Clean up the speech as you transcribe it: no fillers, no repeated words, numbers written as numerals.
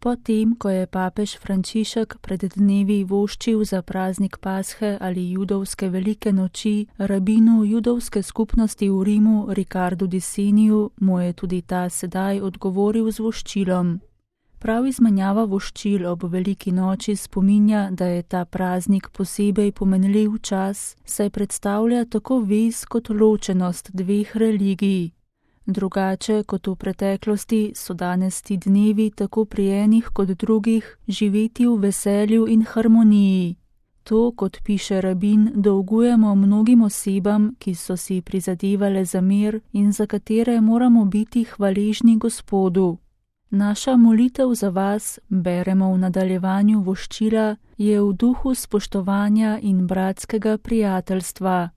Potem, ko je papež Frančišek pred dnevi voščil za praznik Pashe ali judovske velike noči rabinu judovske skupnosti v Rimu Ricardu di Seniju, mu je tudi ta sedaj odgovoril z voščilom. Prav izmenjava voščil ob veliki noči spominja, da je ta praznik posebej pomenljiv čas, saj predstavlja tako vez kot ločenost dveh religij. Drugače kot v preteklosti so danes ti dnevi tako pri enih kot drugih živeti v veselju in harmoniji. To, kot piše rabin, dolgujemo mnogim osebam, ki so si prizadevale za mir in za katere moramo biti hvaležni Gospodu. Naša molitev za vas, beremo v nadaljevanju voščila, je v duhu spoštovanja in bratskega prijateljstva.